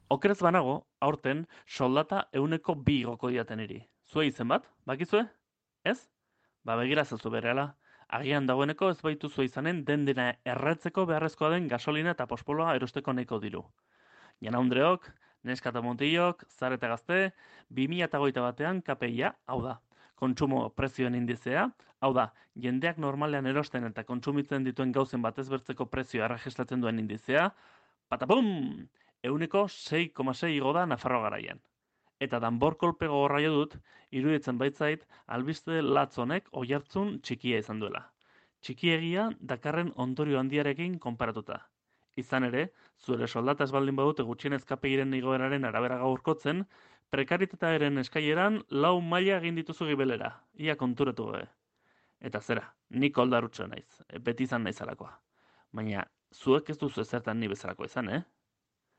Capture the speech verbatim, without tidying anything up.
Okerez banago, aurten soldata euneko bi igoko diaten iri. Zue izen bat, bakizue? Ez? Ba begira zazu berehala. Agian dagoeneko ez baituzue izanen den dena erretzeko beharrezkoa den gasolina eta pospoloa erosteko nahiko diru. Janaundreok, neska eta mutilok, zar eta gazte, bi mila hogeita batean K P I-a, hau da, kontsumo prezioen indizea, hau da, jendeak normalean erosten eta kontsumitzen dituen gauzen batez bertzeko prezioa erregistratzen duen indizea, patapum! Euneko sei koma sei igo da Nafarroa garaian. Eta danbor kolpe gogorra jo dut, iruditzen baitzait, albiste latz honek oihartzun txikia izan duela. Txikiegia dakarren ondorio handiarekin konparatuta. Izan ere, zure soldata ez baldin badute gutxienez K P I-ren igoeraren arabera gaurkotzen, prekaritatearen eskaileran lau maila egin dituzu gibelera, ia konturatu gabe. Eta zera, nik oldarutxo naiz, beti izan naizalakoa. Baina, zuek ez duzu ezertan ni bezalakoa izan, eh?